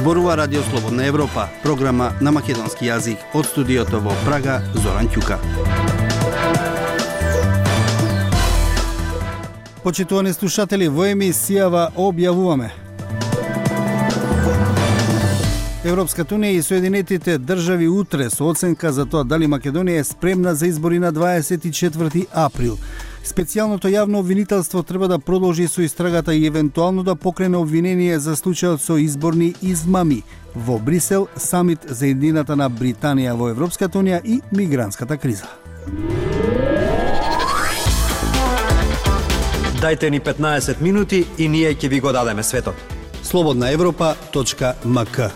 Зборува Радио Слободна Европа, програма на македонски јазик од студиото во Прага, Зоран Ќука. Почитувани слушатели, во емисијава објавуваме: Европската унија и Соединетите држави утре со оценка за тоа дали Македонија е спремна за избори на 24 април. Специјалното јавно обвинителство треба да продолжи со истрагата и евентуално да покрене обвинение за случајот со изборни измами. Во Брисел, самит за едината на Британија во Европската унија и мигрантската криза. Дајте ни 15 минути и ние ќе ви го дадеме светот. slobodnaevropa.mk.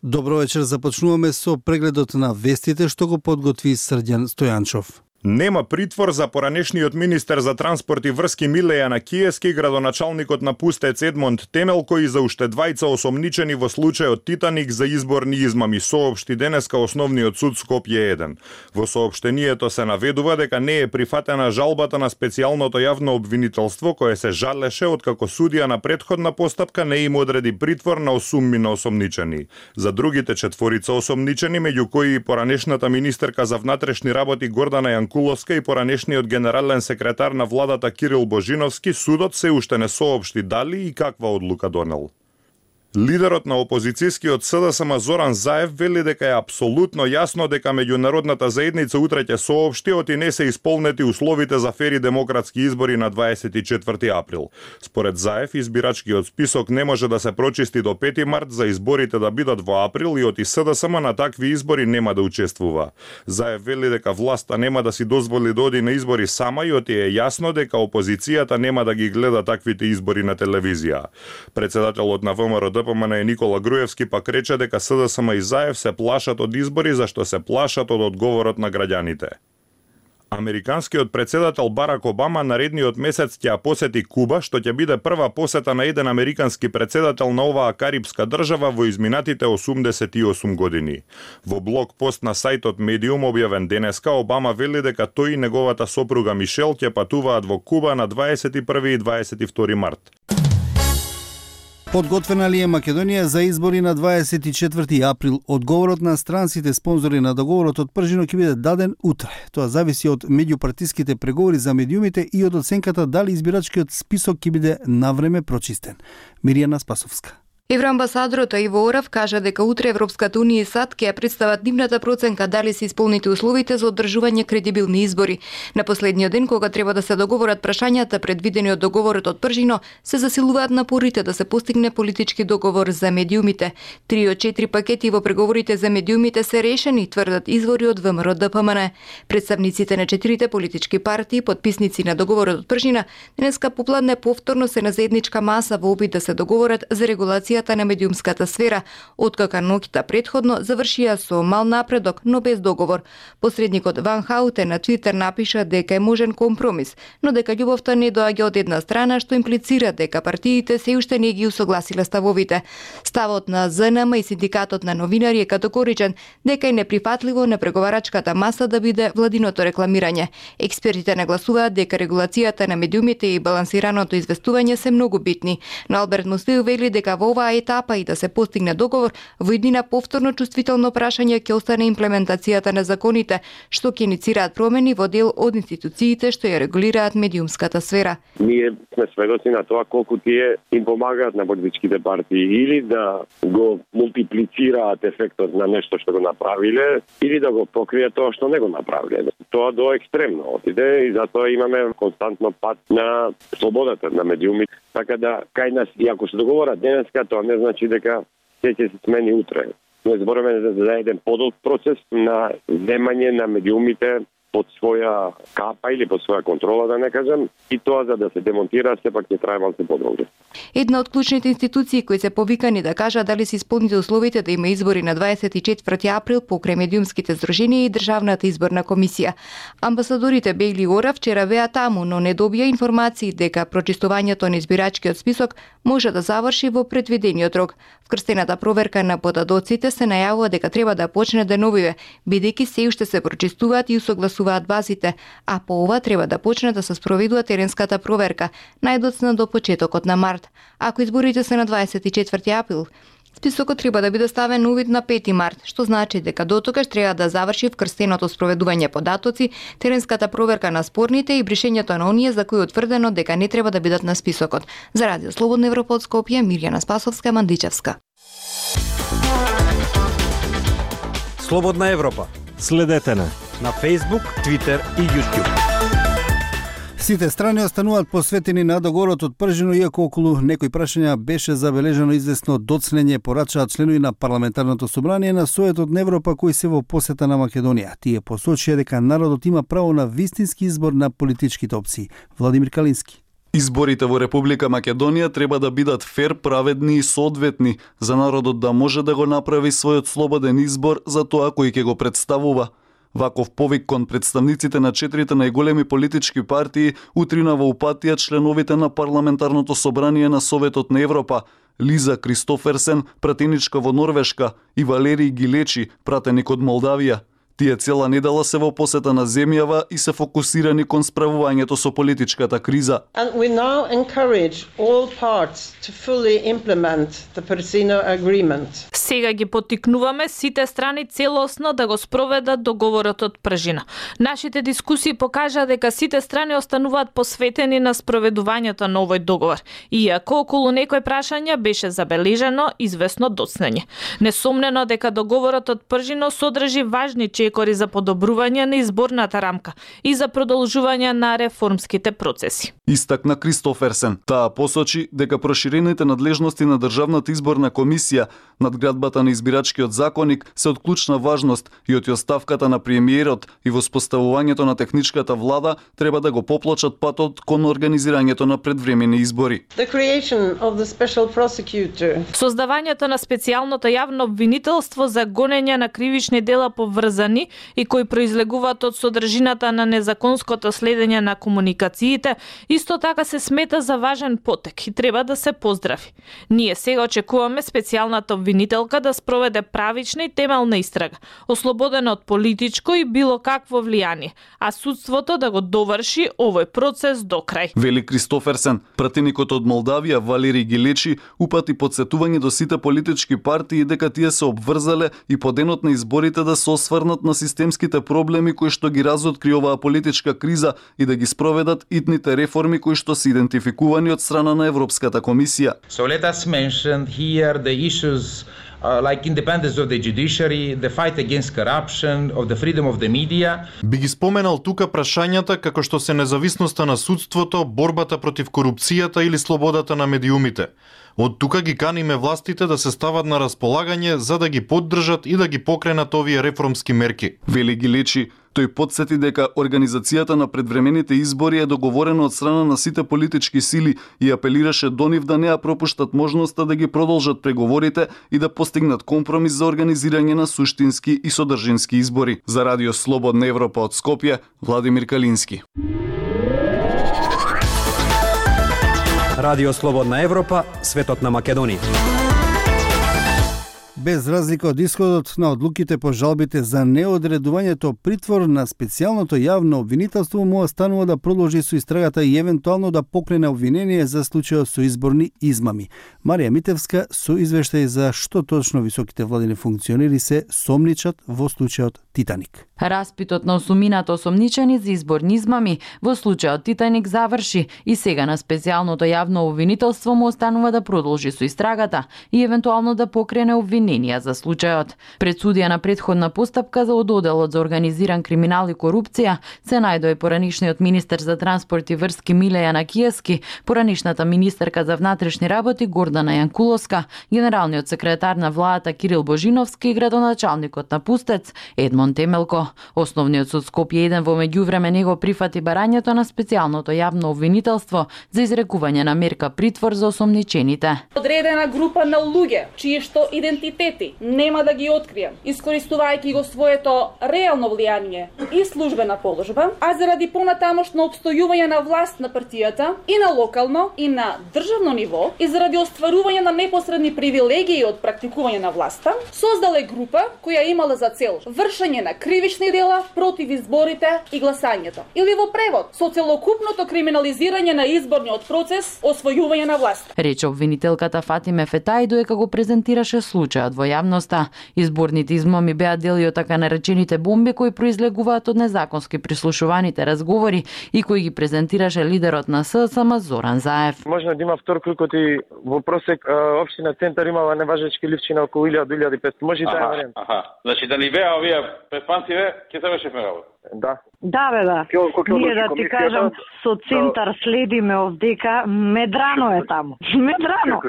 Добро вечер, започнуваме со прегледот на вестите што го подготви Срđan Стојанчов. Нема притвор за поранешниот министер за транспорт и врски Милејана Киески, градоначалникот на Пустец Едмонд Темелко и за уште двајца осомничени во случајот Титаник за изборни измами, соопшти денеска Основниот суд Скопје 1. Во соопштението се наведува дека не е прифатена жалбата на специјалното јавно обвинителство кое се жалеше откако судија на претходна постапка не им одреди притвор на осуммина осомничени. За другите четворица осомничени, меѓу кои и поранешната министерка за внатрешни работи Гордана Јанкуловска и поранешниот генерален секретар на владата Кирил Божиновски, судот се уште не соопшти дали и каква одлука донел. Лидерот на опозицијскиот СДСМ Зоран Заев вели дека е апсолутно јасно дека меѓународната заедница утре ќе соопшти оти не се исполнети условите за фери демократски избори на 24 април. Според Заев, избирачкиот список не може да се прочисти до 5 март за изборите да бидат во април и оти СДСМ на такви избори нема да учествува. Заев вели дека власта нема да си дозволи да оди на избори сама и оти е јасно дека опозицијата нема да ги гледа таквите избори на телевизија. Председателот на ВМРО ДПМН Никола Груевски пак рече дека СДСМ и Заев се плашат од избори зашто се плашат од одговорот на граѓаните. Американскиот председател Барак Обама наредниот месец ќе ја посети Куба, што ќе биде прва посета на еден американски председател на оваа карипска држава во изминатите 88 години. Во блог пост на сајтот Medium објавен денеска, Обама вели дека тој и неговата сопруга Мишел ќе патуваат во Куба на 21 и 22 март. Подготвена ли е Македонија за избори на 24 април? Одговорот на странците спонзори на договорот од Пржино ќе биде даден утре. Тоа зависи од меѓупартиските преговори за медиумите и од оценката дали избирачкиот список ќе биде навреме прочистен. Миријана Спасовска. Евроамбасадорот Иво Орав кажа дека утре Европската унија и САД ќе ја представат нивната проценка дали се исполнети условите за одржување кредибилни избори. На последниот ден, кога треба да се договорат прашањата предвидени од договорот од Пржино, се засилуваат напорите да се постигне политички договор за медиумите. 3 од 4 пакети во преговорите за медиумите се решени, тврдат извори од ВМРО ДПМН. Представниците на 4 политички партии, подписници на договорот од Пржина, денеска попладне повторно се на заедничка маса во обид да се договорат за регулација на медиумската сфера, откако ноќта претходно завршија со мал напредок, но без договор. Посредникот Ван Хаутен на Твитер напиша дека е можен компромис, но дека љубовта не доаѓа од една страна, што имплицира дека партиите се уште не ги усогласиле ставовите. Ставот на ЗНМ и синдикатот на новинари е категоричен дека е неприфатливо на преговарачката маса да биде владиното рекламирање. Експертите нагласуваат дека регулацијата на медиумите и балансираното известување се многу битни. Но Алберт Мустеју вели дека во оваа етапа и да се постигне договор, во еднина повторно чувствително прашање ќе остане имплементацијата на законите, што ќе иницираат промени во дел од институциите што ја регулираат медиумската сфера. Ние сме сведоци на тоа колку тие им помагаат на политичките партии или да го мултиплицираат ефектот на нешто што го направиле, или да го покријат тоа што не го направиле. Тоа до екстремно отиде и затоа имаме константно пат на слободата на медиумите. Така да, кај нас, и ако се договорат денеска, тоа не значи дека ќе се смени утре. Ние зборуваме за еден подолг процес на земање на медиумите под своја капа или под своја контрола, да не кажам, и тоа за да се демонтира сепак ќе трае малку подолго. Една од клучните институции кои се повикани да кажат дали се исполните условите да има избори на 24 април покрај медиумските здруженија и Државната изборна комисија. Амбасадорите Бејли и Орав вчера беа таму, но не добија информации дека прочистувањето на избирачкиот список може да заврши во предвидениот рок. Вкрстената проверка на подадоците се најавува дека треба да почне деновиве, бидејќи се уште се прочистуваат и усогласуваат користуваат базите, а по ова треба да почне да се спроведува теренската проверка, најдоцна до почетокот на март. Ако изборите се на 24 април, списокот треба да биде ставен на увид на 5 март, што значи дека дотогаш треба да заврши вкрстеното спроведување податоци, теренската проверка на спорните и бришењето на оние за кои утврдено дека не треба да бидат на списокот. За Радио Слободна Европа од Скопје, Мирјана Спасовска, Мандичевска. Слободна Европа. Следете на Facebook, Twitter и YouTube. Сите страни остануваат посветени на договорот од Пржино, иако околу некои прашања беше забележано известно доцнење, порачаат членови на парламентарното собрание на Советот на Европа кои се во посета на Македонија. Тие посочија дека народот има право на вистински избор на политичките опции. Владимир Калински. Изборите во Република Македонија треба да бидат фер, праведни и соодветни, за народот да може да го направи својот слободен избор за тоа кој ќе го представува. Ваков повик кон представниците на 4 најголеми политички партии утрина во упатија членовите на парламентарното собрание на Советот на Европа, Лиза Кристоферсен, пратеничка во Норвешка, и Валерий Гилечи, пратеник од Молдавија. Тие цела недела се во посета на земјава и се фокусирани кон справувањето со политичката криза. And we now encourage all parts to fully implement the Persino agreement. Сега ги поттикнуваме сите страни целосно да го спроведат договорот од Пржина. Нашите дискусии покажаа дека сите страни остануваат посветени на спроведувањето на овој договор, иако околу некои прашања беше забележано известно доцнење. Несомнено дека договорот од Пржино содржи важни чекори за подобрување на изборната рамка и за продолжување на реформските процеси. Истакна Кристоферсен. Таа посочи дека проширените надлежности на Државната изборна комисија, надградбата на избирачкиот законник се од клучна важност и од оставката на премиерот и воспоставувањето на техничката влада треба да го поплочат патот кон организирањето на предвремени избори. Создавањето на специјалното јавно обвинителство за гонење на кривични дела поврзани и кои произлегуваат од содржината на незаконското следење на комуникациите, исто така се смета за важен потек и треба да се поздрави. Ние сега очекуваме специјалната обвинителка да спроведе правична и темелна истрага, ослободена од политичко и било какво влијание, а судството да го доврши овој процес до крај. Вели Кристоферсен. Пратеникот од Молдавија Валерий Гилечи упати подсетување до сите политички партии дека тие се обврзале и по денот на изборите да се осврнат на системските проблеми кои што ги разоткри оваа политичка криза и да ги спроведат итните реформи кои што се идентификувани од страна на Европската комисија. So let us mention here the issues like independence of the judiciary, the fight against corruption, of the freedom of the media. Би ги споменал тука прашањата како што се независноста на судството, борбата против корупцијата или слободата на медиумите. Од тука ги каниме властите да се стават на располагање за да ги поддржат и да ги покренат овие реформски мерки. Вели Гилечи. Тој потсети дека организацијата на предвремените избори е договорена од страна на сите политички сили и апелираше до нив да не ја пропуштат можноста да ги продолжат преговорите и да постигнат компромис за организирање на суштински и содржински избори. За Радио Слободна Европа од Скопје, Владимир Калински. Радио Слободна Европа, светот на Македонија. Без разлика од исходот на одлуките по жалбите за неодредувањето притвор на специјалното јавно обвинителство му останува да продолжи со истрагата и евентуално да покрене обвинение за случајот со изборни измами. Марија Митевска со извештај за што точно високите владини функционери се сомничат во случајот Титаник. Распитот на осумината осомничени за изборни измами во случајот Титаник заврши и сега на специјалното јавно обвинителство му останува да продолжи со истрагата и евентуално да покрене обвиненија за случајот. Пред судија на претходна постапка за одделот за организиран криминал и корупција се најдоа поранишниот министер за транспорт и врски Милеја Накиевски, поранишната министерка за внатрешни работи Гордана Јанкуловска, генералниот секретар на владата Кирил Божиновски и градоначалникот на Пустец Едмон Темелко. Основниот суд Скопје 1 во меѓувреме него прифати барањето на специјалното јавно обвинителство за изрекување на мерка притвор за осомничените. Одредена група на луѓе чии што идентитет приоритети нема да ги открием, искористувајќи го своето реално влијание и службена положба, а заради понатамошно обстојување на власт на партијата и на локално и на државно ниво и заради остварување на непосредни привилегии од практикување на власта, создале група која имала за цел вршење на кривични дела против изборите и гласањето. Или во превод, со целокупното криминализирање на изборниот процес, освојување на власт. Рече обвинителката Фатиме Фетај додека го презентираше случајот во јавноста. Изборните измами беа дели од така наречените бомби кои произлегуваат од незаконски прислушуваните разговори и кои ги презентираше лидерот на ССМ Зоран Заев. Можно да има втор клюкот и во просек општина Центар имала неважечки ливчи на околу 1000-1500. Може и таа варијанта. Значи да ни беа овие препанциве, ќе се вршиме работа. Да. Да, бе, да. Ние да ти кажам, со Центар следиме овдека, медрано е таму. Медрано.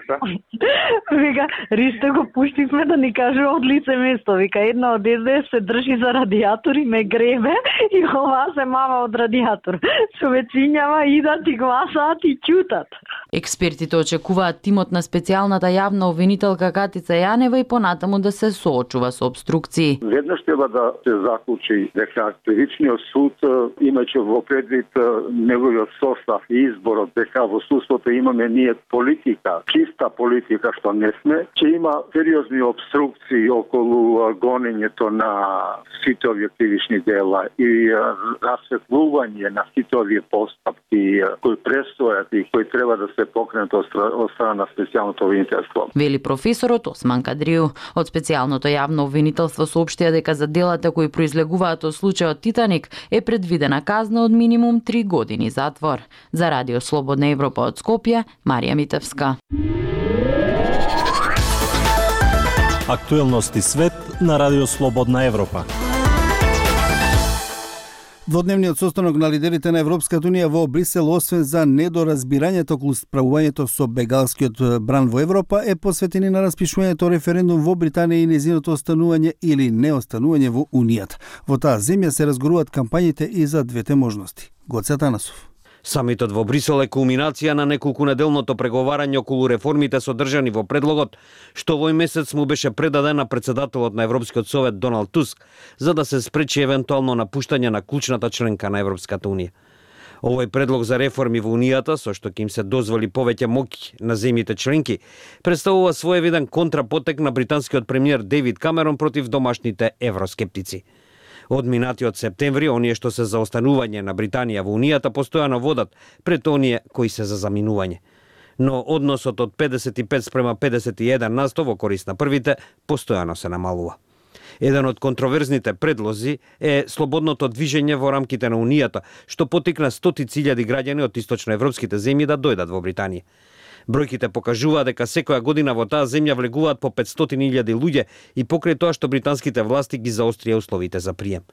Вика, Ристо го пуштивме да ни каже од лице место. Вика, една од СДС се држи за радиатор и ме гребе и ова се мама од радиатор. Човечињава идат и гласаат и ќутат. Експертите очекуваат тимот на специјалната јавна обвинителка Катица Јанева и понатаму да се соочува со обструкции. Веднаш треба да се заклучи дека Кривичниот суд, имајќи во предвид неговиот состав и изборот, дека во судството имаме ние политика, чиста политика што не сме, че има сериозни обструкции околу гонењето на сите овие кривични дела и расветлување на сите овие постапки кои престојат и кои треба да се покренат од страна на специјалното обвинителство. Вели професорот Осман Кадрију. Од специјалното јавно обвинителство соопштија дека за делата кои произлегуваат од случајот Титаник е предвидена казна од минимум 3 години затвор. За Радио Слободна Европа од Скопје, Марија Митевска. Актуелности свет на Радио Слободна Европа. Дводневниот состанок на лидерите на Европската унија во Брисел, освен за недоразбирањето околу справувањето со бегалскиот бран во Европа, е посветени на распишувањето референдум во Британија и нејзиното останување или неостанување во Унијата. Во таа земја се разгоруваат кампањите и за двете можности. Гоце Атанасов. Самитот во Брисел е кулминација на неколкунеделното преговарање околу реформите содржани во предлогот, што овој месец му беше предаден на председателот на Европскиот совет Доналд Туск, за да се спречи евентуално напуштање на клучната членка на Европската унија. Овој предлог за реформи во Унијата, со што ќе им се дозволи повеќе моќ на земјите членки, представува своевиден контрапотек на британскиот премиер Дейвид Камерон против домашните евроскептици. Од минатиот септември, оние што се за останување на Британија во Унијата постојано водат пред оние кои се за заминување. Но односот од 55:51 во корист на првите постојано се намалува. Еден од контроверзните предлози е слободното движење во рамките на Унијата, што потикна стотици илјади граѓани од источноевропските земји да дојдат во Британија. Бројките покажуваат дека секоја година во таа земја влегуваат по 500.000 луѓе и покрај тоа што британските власти ги заострија условите за прием.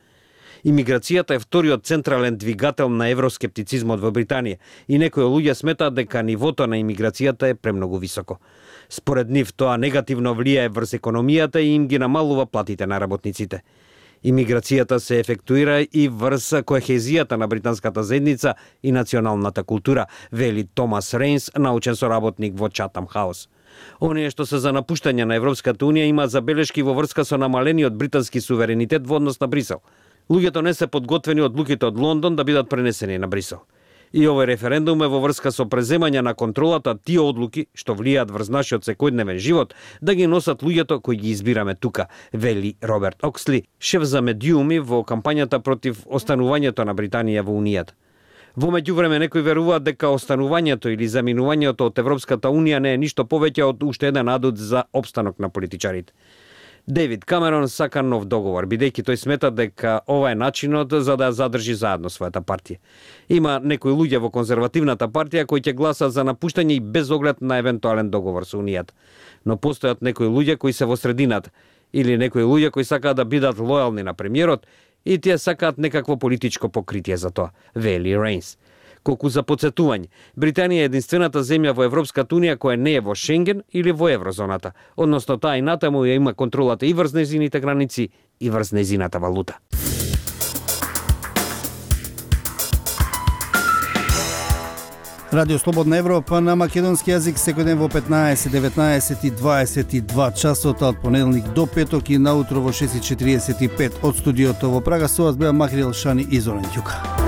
Имиграцијата е вториот централен двигател на евроскептицизмот во Британија и некои луѓе сметаат дека нивото на имиграцијата е премногу високо. Според нив тоа негативно влијае врз економијата и им ги намалува платите на работниците. Имиграцијата се ефектуира и врз коехезијата на британската заедница и националната култура, вели Томас Рейнс, научен соработник во Chatham House. Оние што се за напуштање на Европската унија имаат забелешки во врска со намалениот британски суверенитет во однос на Брисел. Луѓето не се подготвени од одлуките од Лондон да бидат пренесени на Брисел. И овој референдум е во врска со преземање на контролата тие одлуки што влијаат врз нашиот секојдневен живот да ги носат луѓето кои ги избираме тука, вели Роберт Оксли, шеф за медиуми во кампањата против останувањето на Британија во Унијата. Во меѓувреме некои веруваат дека останувањето или заминувањето од Европската унија не е ништо повеќе од уште еден адут за опстанок на политичарите. Дейвид Камерон сака нов договор, бидејќи тој смета дека ова е начинот за да задржи заедно својата партија. Има некои луѓе во конзервативната партија кои ќе гласат за напуштање и без оглед на евентуален договор со Унијата. Но постојат некои луѓе кои се во средината, или некои луѓе кои сакаат да бидат лојални на премиерот и тие сакаат некакво политичко покритие за тоа, вели Рейнс. Колку за подсетување, Британија е единствената земја во Европската унија која не е во Шенген или во еврозоната, односно таа и натаму ја има контролата и врз нејзините граници и врз нејзината валута. Радио Слободна Европа на македонски јазик секој ден во 15, 19 и 22 часот од понеделник до петок и наутро во 6:45 од студиото во Прага. Со вас беа Махрил Шани и Зоран Ѓука.